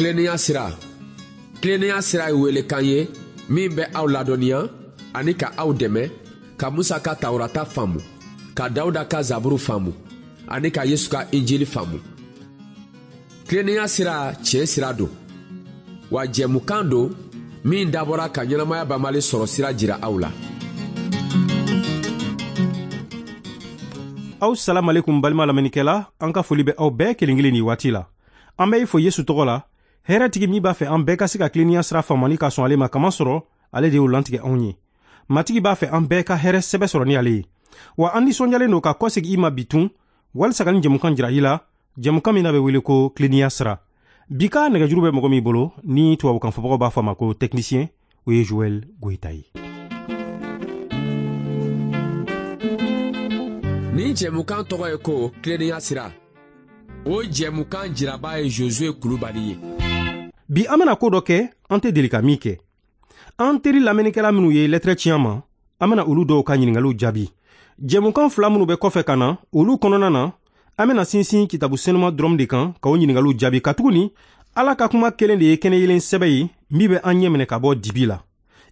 Tilennenya sira. Tilennenya sira ye welekan ye min bɛ aw ladɔnniya ani ka aw dɛmɛ ka Musa ka Tawurata faamu, ka Dawuda ka Zaburu faamu ani ka Yesu ka Injili faamu. Tilennenya sira tiɲɛ sira don, wa jɛmukan don min dabɔra ka ɲɛnamaya banbali sɔrɔ sira jira aw la. Aw salamalekum balima lamɛnnikɛla, an ka foli bɛ aw bɛɛ kelen kelen nin waati la. An bɛ i fo Yesu tɔgɔ la, hɛrɛtigi min b'a fɛ an bɛɛ ka se ka tilennenya sira faamu ani ka sɔn ale ma, kamasɔrɔ ale de y'o lantigɛ anw ye. Matigi b'a fɛ an bɛɛ ka hɛrɛ sɛbɛ sɔrɔ ni ale ye. Wa an nisɔndiyalen don ka kɔsegin i ma bi tun, walisa ka nin jɛmukan jira i la, jɛmukan min n'a bɛ wele ko tilennenya sira. Bi ka nɛgɛjuru bɛ mɔgɔ min bolo, ni tubabukan fɔbagaw b'a fɔ a ma ko technicien, o ye Joël Goyita ye. Nin jɛmukan tɔgɔ ye ko tilennenya sira. O jɛmukan jiraba ye Josue Kulubali ye. Bi an bɛna ko dɔ kɛ, an tɛ deli ka min kɛ. An teri lamɛnnikɛla minnu ye lɛtɛrɛ ci an ma, an bɛna olu dɔw ka ɲininkaliw jaabi. Jɛmukan fila minnu bɛ kɔfɛ ka na, olu kɔnɔna na, an bɛna sinsin kitabu senuma dɔrɔn de kan ka o ɲininkaliw jaabi, katuguni Ala ka kuma kelen de ye kɛnɛyelen sɛbɛ ye min bɛ an ɲɛ minɛ ka bɔ dibi la.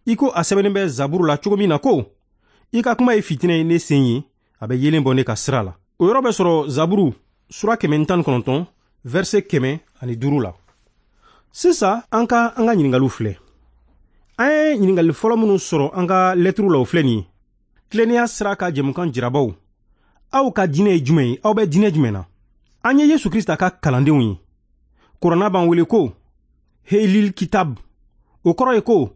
I ko a sɛbɛnnen bɛ Zaburu la cogo min na ko, i ka kuma ye fitinɛ ye ne sen ye, a bɛ yeelen bɔ ne ka sira la. O yɔrɔ bɛ sɔrɔ Zaburu sura 119, verset 105 la. Sisan an ka an ka ɲininkaliw filɛ. An ye ɲininkali fɔlɔ minnu sɔrɔ an ka lɛtiriw la, o filɛ nin ye. Tilennenya sira ka jɛmukan jirabaw, aw ka diinɛ ye jumɛn ye? Aw bɛ diinɛ jumɛn na? An ye Yesu Krista ka kalandenw ye. Kuranna b'an wele ko Helil Kitab, o kɔrɔ ye ko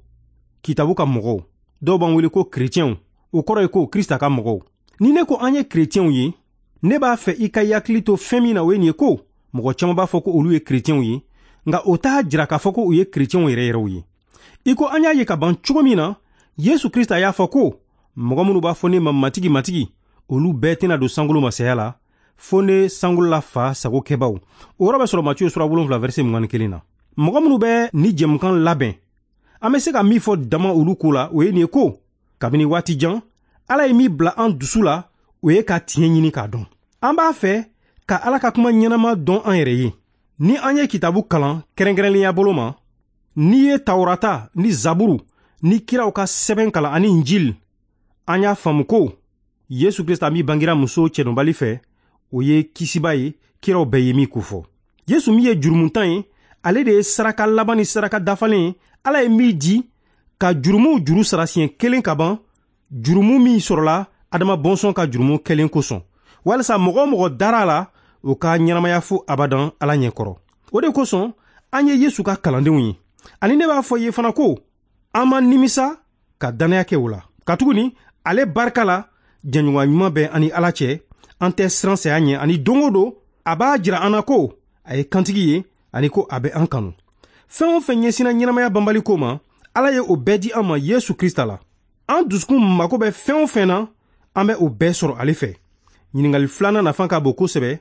kitabu ka mɔgɔw. Dɔw b'an wele ko kerecɛnw, o kɔrɔ ye ko Krista ka mɔgɔw. Ni ne ko an ye kerecɛnw ye, ne b'a fɛ i ka hakili to fɛn min na, o ye nin ye ko mɔgɔ caman b'a fɔ ko olu ye kerecɛnw ye, nka o t'a jira k'a fɔ ko u ye kerecɛnw yɛrɛ yɛrɛw ye. I ko an y'a ye ka ban cogo min na, Yesu Krista y'a fɔ ko mɔgɔ minnu b'a fɔ ne ma Matigi, Matigi, olu bɛɛ tɛna don sankolo masaya la, fo ne sankolola fa sago kɛbaw. O yɔrɔ bɛ sɔrɔ Matiyu sura 7 verset 21 na. Mɔgɔ minnu bɛ ni jɛmukan labɛn, an bɛ se ka min fɔ dama olu ko la, o ye nin ye ko kabini waati jan, Ala ye min bila an dusu la, o ye ka tiɲɛ ɲini k'a dɔn. An b'a fɛ ka Ala ka kuma ɲɛnama dɔn an yɛrɛ ye. Ni an ye kitabu kalan kɛrɛnkɛrɛnnenya bolo ma, n'i ye Tawurata ni Zaburu ni kiraw ka sɛbɛn kalan ani Injil, an y'a faamu ko Yesu Krista min bangira muso cɛdɔnbali fɛ, o ye kisiba ye, kiraw bɛɛ ye min kofɔ. Yesu min ye jurumuntan ye, ale de ye saraka laban ni saraka dafalen ye, Ala ye min di ka jurumuw juru sara siɲɛ kelen ka ban, jurumu min sɔrɔla Adama bɔnsɔn ka jurumu kɛlen kosɔn, walisa mɔgɔ o mɔgɔ dara a la, o ka ɲɛnamaya fo abadan Ala ɲɛkɔrɔ. O de kosɔn an ye Yesu ka kalandenw ye. Ani ne b'a fɔ i ye fana ko an ma nimisa ka dannaya kɛ o la, katuguni ale barika la jɛɲɔgɔnya ɲuman bɛ an ni Ala cɛ, an tɛ siran saya ɲɛ, ani don o don a b'a jira an na ko a ye kantigi ye ani ko a bɛ an kanu. Fɛn o fɛn ɲɛsinna ɲɛnamaya banbali ko ma, Ala ye o bɛɛ di an ma Yesu Krista la. An dusukun mako bɛ fɛn o fɛn na, an bɛ o bɛɛ sɔrɔ ale fɛ. Ɲininkali filanan nafa ka bon kosɛbɛ,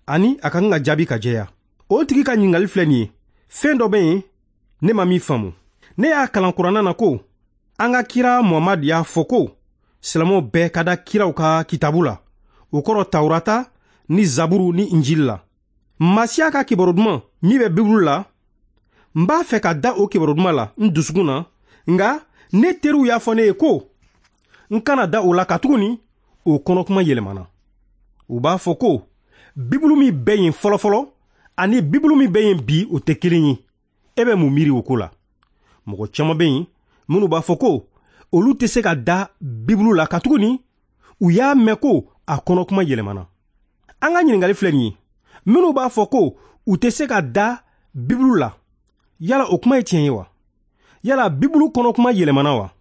ani a ka kan ka jaabi ka jɛya. O tigi ka ɲininkali filɛ nin ye: fɛn dɔ bɛ yen ne ma min faamu. Ne y'a kalan kuranna na ko an ka kira Muhamadu y'a fɔ ko silamɛw bɛɛ ka da kiraw ka kitabu la, o kɔrɔ Tawurata ni Zaburu ni Injili la. Masiya ka kibaru duman min bɛ Bibulu la, n b'a fɛ ka da o kibaru duman la n dusukun na, nka ne teriw y'a fɔ ne ye ko n kana da o la, katuguni o kɔnɔkuma yɛlɛmana. U b'a fɔ ko Bibulu min bɛ yen fɔlɔfɔlɔ ani Bibulu min bɛ yen bi, o tɛ kelen ye. E bɛ mun miiri o ko la? Mɔgɔ caman bɛ yen minnu b'a fɔ ko olu tɛ se ka da Bibulu la, katuguni u y'a mɛn ko a kɔnɔkuma yɛlɛmana. An ka ɲininkali filɛ nin ye: minnu b'a fɔ ko u tɛ se ka da Bibulu la, yala o kuma ye tiɲɛ ye wa? Yala Bibulu kɔnɔkuma yɛlɛmana wa?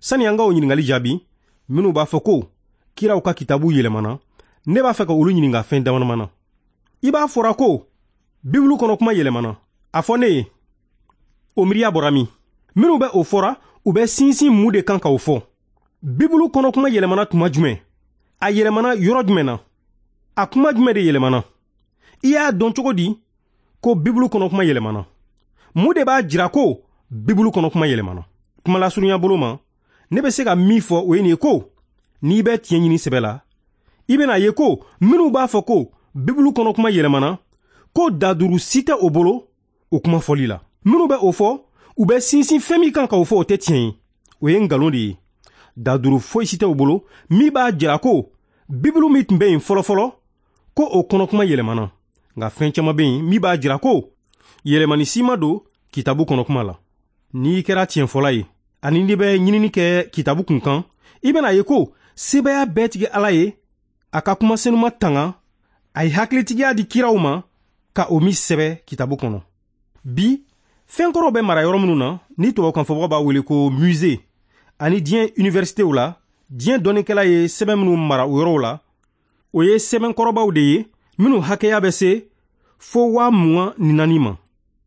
Sani an ka o ɲininkali jaabi, minnu b'a fɔ ko kiraw ka kitabu yɛlɛmana, ne b'a fɛ ka olu ɲininka fɛn dama na. I b'a fɔra ko Bibulu kɔnɔkuma yɛlɛmana, a fɔ ne ye, o miiriya bɔra min? Minnu bɛ o fɔra, u bɛ sinsin mun de kan k'o fɔ? Bibulu kɔnɔkuma yɛlɛmana tuma jumɛn? A yɛlɛmana yɔrɔ jumɛn na? A kuma jumɛn de yɛlɛmana? I y'a dɔn cogo di ko Bibulu kɔnɔkuma yɛlɛmana? Mun de b'a jira ko Bibulu kɔnɔkuma yɛlɛmana? Kuma lasurunya bolo ma, ne bɛ se ka min fɔ o ye nin ye ko n'i bɛ tiɲɛ ɲini sɛbɛ la, i bɛna ye ko minnu b'a fɔ ko Bibulu kɔnɔkuma yɛlɛmana, ko daduru si tɛ o bolo, o kuma fɔli la. Minnu bɛ o fɔ, u bɛ sinsin fɛn min kan k'o fɔ, o tɛ tiɲɛ ye, o ye nkalon de ye. Daduru foyi si tɛ u bolo min b'a jira ko Bibulu min tun bɛ yen fɔlɔfɔlɔ, ko o kɔnɔkuma yɛlɛmana. Nka fɛn caman bɛ yen min b'a jira ko yɛlɛmani si ma don kitabu kɔnɔkuma la. N'i kɛra tiɲɛfɔla ye ani n'i bɛ ɲinini kɛ kitabu kun kan, i bɛna ye ko sebaaya bɛɛ tigi Ala ye a ka kuma senuma tanga, a ye hakilitigiya di kiraw ma ka o min sɛbɛ kitabu kɔnɔ. Bi, fɛn kɔrɔw bɛ mara yɔrɔ minnu na, ni tubabukanfɔbagaw b'a wele ko musée, ani diɲɛ universitéw la, diɲɛ dɔnnikɛla ye sɛbɛn minnu mara o yɔrɔw la, o ye sɛbɛnkɔrɔbaw de ye minnu hakɛya bɛ se fo 24,000 ma.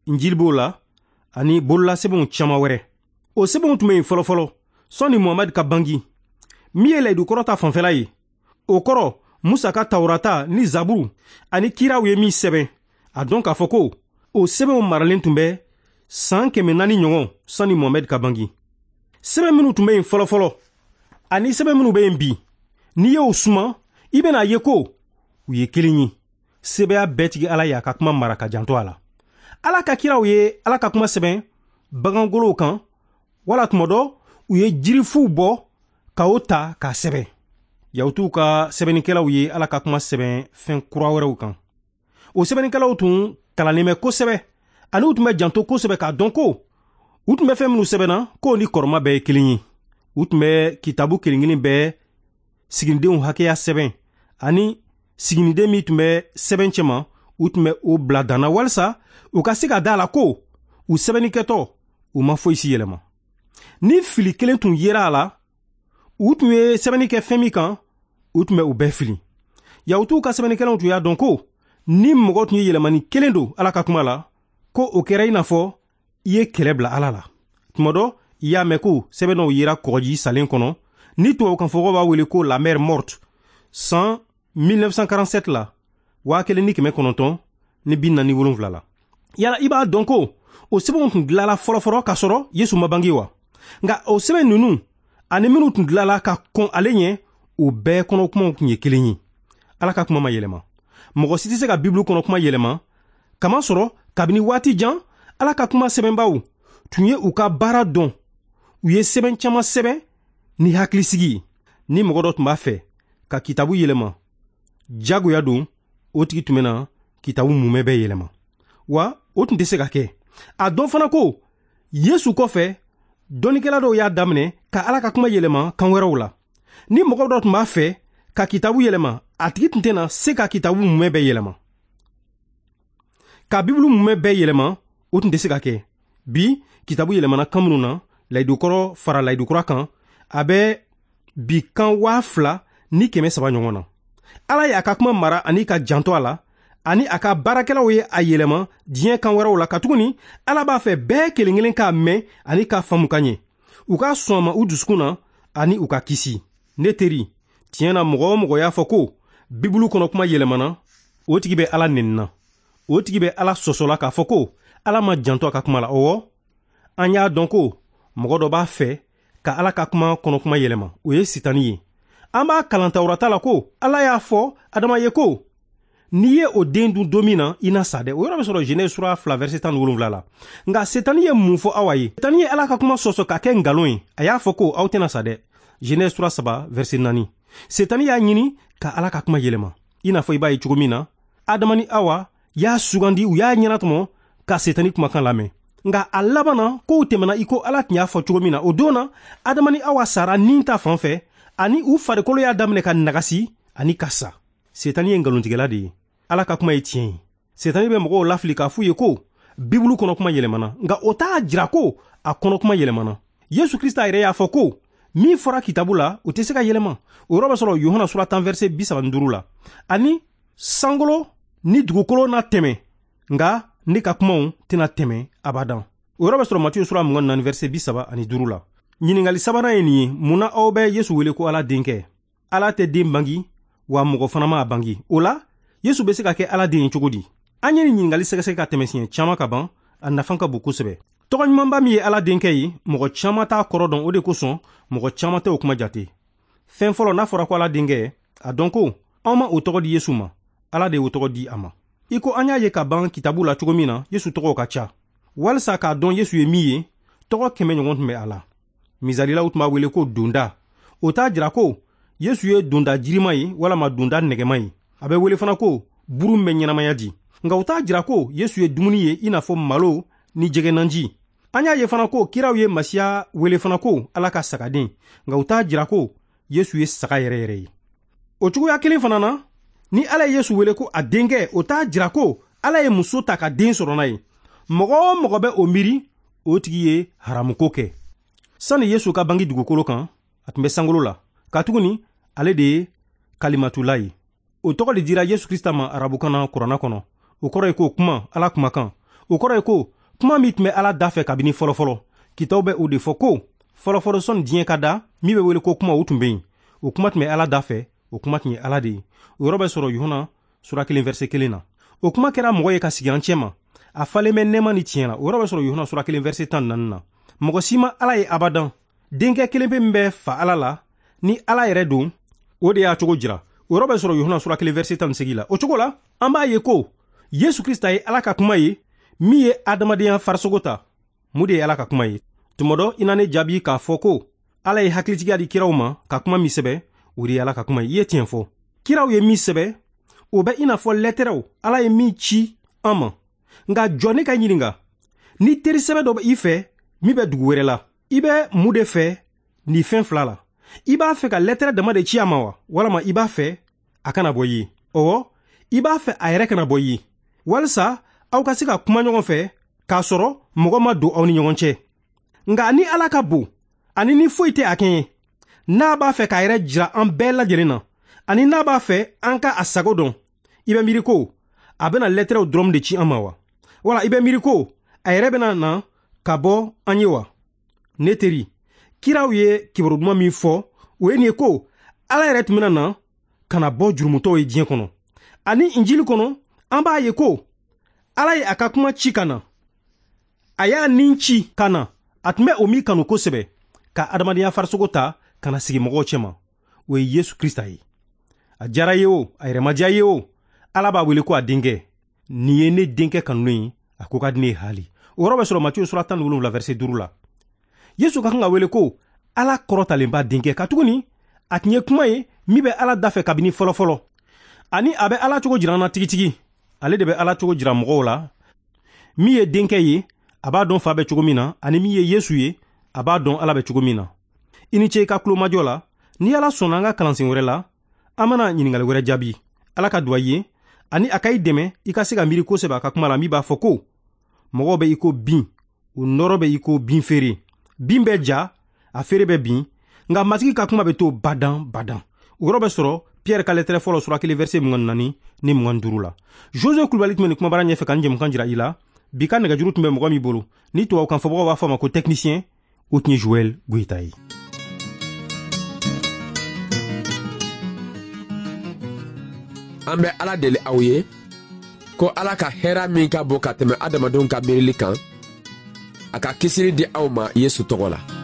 Injili b'o la ani bololasɛbɛnw caman wɛrɛ. O sɛbɛnw tun bɛ yen fɔlɔfɔlɔ sɔnni Muhamadu ka bangi, min ye layidukɔrɔ ta fanfɛla ye. O kɔrɔ, Musa ka Tawurata ni Zaburu ani kiraw ye min sɛbɛn, a dɔn k'a fɔ ko o sɛbɛnw maralen tun bɛ san 400 ɲɔgɔn sani Muhamadu ka bangi. Sɛbɛn minnu tun bɛ yen fɔlɔfɔlɔ ani sɛbɛn minnu bɛ yen bi, n'i y'o suma, i bɛna ye ko u ye kelen ye. Sebaaya bɛɛ tigi Ala y'a ka kuma mara ka janto a la. Ala ka kiraw ye Ala ka kuma sɛbɛn bagangolow kan, wala tuma dɔ u ye jirifuw bɔ ka o ta k'a sɛbɛn. Yahutuw ka sɛbɛnnikɛlaw ye Ala ka kuma sɛbɛn fɛn kura wɛrɛw kan. O sɛbɛnnikɛlaw tun kalannen bɛ kosɛbɛ, ani u tun bɛ janto kosɛbɛ k'a dɔn ko u tun bɛ fɛn minnu sɛbɛnna k'o ni kɔrɔma bɛɛ ye kelen ye. U tun bɛ kitabu kelen kelen bɛɛ siginidenw hakɛya sɛbɛn, ani siginiden min tun bɛ sɛbɛn cɛma, u tun bɛ o bila danna walisa u ka se ka da a la ko u sɛbɛnnikɛtɔ u ma foyi si yɛlɛma. Ni fili kelen tun yera a la, u tun ye sɛbɛnni kɛ fɛn min kan, u tun bɛ u bɛɛ fili. Yahutuw ka sɛbɛnnikɛlaw tun y'a dɔn ko ni mɔgɔ tun ye yɛlɛmani kelen don Ala ka kuma la, ko o kɛra i n'a fɔ i ye kɛlɛ bila Ala la. Tuma dɔ, i y'a mɛn ko sɛbɛn dɔw yera kɔgɔji salen kɔnɔ, ni tubabukanfɔbagaw b'a wele ko la mer morte, san 1947 la, 1947 la. Yala i b'a dɔn ko o sɛbɛnw tun dilanla fɔlɔfɔlɔ k'a sɔrɔ Yesu ma bange wa? Nka o sɛbɛn ninnu ani minnu tun dilanla ka kɔn ale ɲɛ, o bɛɛ kɔnɔkumaw tun ye kelen ye. Ala ka kuma ma yɛlɛma. Mɔgɔ si tɛ se ka Bibulu kɔnɔkuma yɛlɛma, kamasɔrɔ kabini waati jan Ala ka kuma sɛbɛnbaw tun ye u ka baara dɔn. U ye sɛbɛn caman sɛbɛn ni hakilisigi ye. Ni mɔgɔ dɔ tun b'a fɛ ka kitabu yɛlɛma jagoya don, o tigi tun bɛna kitabu mumɛ bɛɛ yɛlɛma, wa o tun tɛ se ka kɛ. A dɔn fana ko Yesu kɔfɛ, dɔnnikɛla dɔw y'a daminɛ ka Ala ka kuma yɛlɛma kan wɛrɛw la. Ni mɔgɔ dɔ tun b'a fɛ ka kitabu yɛlɛma, a tigi tun tɛna se ka kitabu mumɛ bɛɛ yɛlɛma. Ka Bibulu mumɛ bɛɛ yɛlɛma, o tun tɛ se ka kɛ. Bi, kitabu yɛlɛmana kan minnu na, layidukɔrɔ fara layidukura kan, a bɛ bi kan 2300 ɲɔgɔn na. Ala ye a ka kuma mara ani ka janto a la, ani a ka baarakɛlaw ye a yɛlɛma diɲɛ kan wɛrɛw la, katuguni Ala b'a fɛ bɛɛ kelen kelen k'a mɛn ani k'a faamu ka ɲɛ, u ka sɔn a ma u dusukun na ani u ka kisi. Ne teri, tiɲɛ na, mɔgɔ o mɔgɔ y'a fɔ ko Bibulu kɔnɔ kuma yɛlɛmana, o tigi bɛ Ala nenina, o tigi bɛ Ala sɔsɔla k'a fɔ ko Ala ma janto a ka kuma la. Ɔwɔ, an y'a dɔn ko mɔgɔ dɔ b'a fɛ ka Ala ka kuma kɔnɔ kuma yɛlɛma, o ye Sitani ye. An b'a kalan Tawurata la ko Ala y'a fɔ Adama ye ko n'i ye o den dun don min na, i na sa dɛ. O yɔrɔ bɛ sɔrɔ Genèse sura 2 verset 17 la. Nka Setani ye mun fɔ Awa ye? Setani ye Ala ka kuma sɔsɔ ka kɛ nkalon ye. A y'a fɔ ko aw tɛna sa dɛ. Genèse sura 3 verset 4. Setani y'a ɲini ka Ala ka kuma yɛlɛma. I n'a fɔ i b'a ye cogo min na, Adama ni Awa y'a sugandi, u y'a ɲɛnatɔmɔ ka Setani kumakan lamɛn. Nka a laban na, kow tɛmɛna i ko Ala tun y'a fɔ cogo min na. O don na, Adama ni Awa sara nin ta fan fɛ, ani u farikolo y'a daminɛ ka nagasi ani ka sa. Setani ye nkalontigɛla de ye. Ala ka kuma ye tiɲɛ ye. Setani bɛ mɔgɔw lafili k'a f'u ye ko Bibulu kɔnɔ kuma yɛlɛmana, nka o t'a jira ko a kɔnɔ kuma yɛlɛmana. Yesu Krista yɛrɛ y'a fɔ ko min fɔra kitabu la, o tɛ se ka yɛlɛma. O yɔrɔ bɛ sɔrɔ Yohana sura 10 verset 35 la. Ani sankolo ni dugukolo na tɛmɛ, nka ne ka kumaw tɛna tɛmɛ abadan. O yɔrɔ bɛ sɔrɔ Matiyu sura 24 verset 35 la. Ɲininkali sabanan ye nin ye: mun na aw bɛ Yesu wele ko Ala denkɛ? Ala tɛ den bangi, wa mɔgɔ fana ma a bangi. O la, Yesu bɛ se ka kɛ Ala den ye cogo di? An ye nin ɲininkali sɛgɛsɛgɛ ka tɛmɛ siɲɛ caman ka ban, a nafa ka bon kosɛbɛ. Tɔgɔ ɲumanba min ye Ala denkɛ ye, mɔgɔ caman t'a kɔrɔ dɔn, o de kosɔn mɔgɔ caman tɛ o kuma jate. Fɛn fɔlɔ, n'a fɔra ko Ala denkɛ, a dɔn ko anw ma o tɔgɔ di Yesu ma, Ala de y'o tɔgɔ di a ma. I ko an y'a ye ka ban kitabu la cogo min na, Yesu tɔgɔw ka ca. Walisa k'a dɔn Yesu ye min ye, tɔgɔ 100 ɲɔgɔn tun bɛ a la. Misali la, u tun b'a wele ko donda. O t'a jira ko Yesu ye donda jirima ye walama donda nɛgɛma ye. A bɛ wele fana ko buru min bɛ ɲɛnamaya di. Nka o t'a jira ko Yesu ye dumuni ye i n'a fɔ malo ni jɛgɛnanji. An y'a ye fana ko kiraw ye Masiya wele fana ko Ala ka sagaden. Nka o t'a jira ko Yesu ye saga yɛrɛ yɛrɛ ye. O cogoya kelen fana na, ni Ala ye Yesu wele ko a denkɛ, o t'a jira ko Ala ye muso ta ka den sɔrɔ n'a ye. Mɔgɔ o mɔgɔ bɛ o miiri, o tigi ye haramuko kɛ. Sani Yesu ka bange dugukolo kan, a tun bɛ sankolo la. Katuguni ale de ye Kalimatula ye. O tɔgɔ de dira Yesu Krista ma arabukan na kuranna kɔnɔ. O kɔrɔ ye ko kuma, Ala kumakan. O kɔrɔ ye ko kuma min tun bɛ Ala da fɛ kabini fɔlɔfɔlɔ. Kitaw bɛ o de fɔ ko fɔlɔfɔlɔ sɔnni diɲɛ ka da, min bɛ wele ko kuma, o tun bɛ yen. O kuma tun bɛ Ala da fɛ, o kuma tun ye Ala de ye. O yɔrɔ bɛ sɔrɔ Yohana sura 1 verset 1 na. O kuma kɛra mɔgɔ ye ka sigi an cɛma. A falen bɛ nɛɛma ni tiɲɛ la. O yɔrɔ bɛ sɔrɔ Yohana sura 1 verset 14 na. Mɔgɔ si ma Ala ye abadan. Denkɛ kelen pe min bɛ fa Ala la, ni Ala yɛrɛ don, o de y'a cogo jira. O yɔrɔ bɛ sɔrɔ Yohana sura 1 verset 18 la. O cogo la, an b'a ye ko Yesu Krista ye Ala ka kuma ye, min ye adamadenya farisogo ta. Mun de ye Ala ka kuma ye? Tuma dɔ i na ne jaabi k'a fɔ ko Ala ye hakilitigiya di kiraw ma ka kuma min sɛbɛ, o de ye Ala ka kuma ye. I ye tiɲɛ fɔ. Kiraw ye min sɛbɛ, o bɛ i n'a fɔ lɛtɛrɛw Ala ye min ci an ma. Nka jɔ ne ka ɲininka, ni teri sɛbɛ dɔ bɛ i fɛ min bɛ dugu wɛrɛ la, i bɛ mun de fɛ nin fɛn fila la? I b'a fɛ ka lɛtɛrɛ dama de ci a ma wa, walama i b'a fɛ a kana bɔ i ye? Ɔwɔ, i b'a fɛ a yɛrɛ kana bɔ i ye, walisa aw ka se ka kuma ɲɔgɔn fɛ k'a sɔrɔ mɔgɔ ma don aw ni ɲɔgɔn cɛ. Nka ni Ala ka bon, ani ni foyi tɛ a kɛɲɛ, n'a b'a fɛ k'a yɛrɛ jira an bɛɛ lajɛlen na, ani n'a b'a fɛ an ka a sago dɔn, i bɛ miiri ko a bɛna lɛtɛrɛw dɔrɔn de ci an ma wa? Wala i bɛ miiri ko a yɛrɛ bɛna na ka bɔ an ye wa? Ne teri, kiraw ye kibaru duman min fɔ, o ye nin ye ko Ala yɛrɛ tun bɛna na ka na bɔ jurumutɔw ye diɲɛ kɔnɔ. Ani Injili kɔnɔ, an b'a ye ko Ala ye a ka kuma ci ka na. A y'a nin ci ka na. A tun bɛ o min kanu kosɛbɛ, ka adamadenya farisogo ta ka na sigi mɔgɔw cɛma. O ye Yesu Krista ye. A diyara ye o, a yɛrɛ ma diya ye o, Ala b'a wele ko a denkɛ. Nin ye ne denkɛ kanunen ye, a ko ka di ne ye haali. O yɔrɔ bɛ sɔrɔ Matiyu sura 17 verset 5 la. Yesu ka kan ka wele ko Ala kɔrɔtalenba denkɛ, katuguni a tun ye kuma ye min bɛ Ala da fɛ kabini fɔlɔfɔlɔ. Ani a bɛ Ala cogo jira an na tigitigi. Ale de bɛ Ala cogo jira mɔgɔw la. Min ye denkɛ ye, a b'a dɔn fa bɛ cogo min na, ani min ye Yesu ye, a b'a dɔn Ala bɛ cogo min na. I ni ce i ka tulomajɔ la. Ni Ala sɔnna an ka kalansen wɛrɛ la, an bɛna ɲininkali wɛrɛ jaabi. Ala ka duwa i ye, ani a ka i dɛmɛ i ka se ka miiri kosɛbɛ a ka kuma la min b'a fɔ ko mɔgɔw bɛ i ko bin, u nɔrɔ bɛ i ko bin feere. Bin bɛ ja, a feere bɛ bin, nka Matigi ka kuma bɛ to badan badan. O yɔrɔ bɛ sɔrɔ Pierre ka lɛtɛrɛ fɔlɔ sura 1 verset 24 ni 25 la. José Kulubali tun bɛ nin kumabara ɲɛfɛ ka nin jɛmukan jira i la. Bi ka nɛgɛjuru tun bɛ mɔgɔ min bolo, ni tubabukan fɔbagaw b'a fɔ a ma ko technicien, o tun ye Joël Goyita ye. An bɛ Ala deli aw ye ko Ala ka hɛra min ka bon ka tɛmɛ adamadenw ka miirili kan, a ka kisili di aw ma Yesu tɔgɔ la.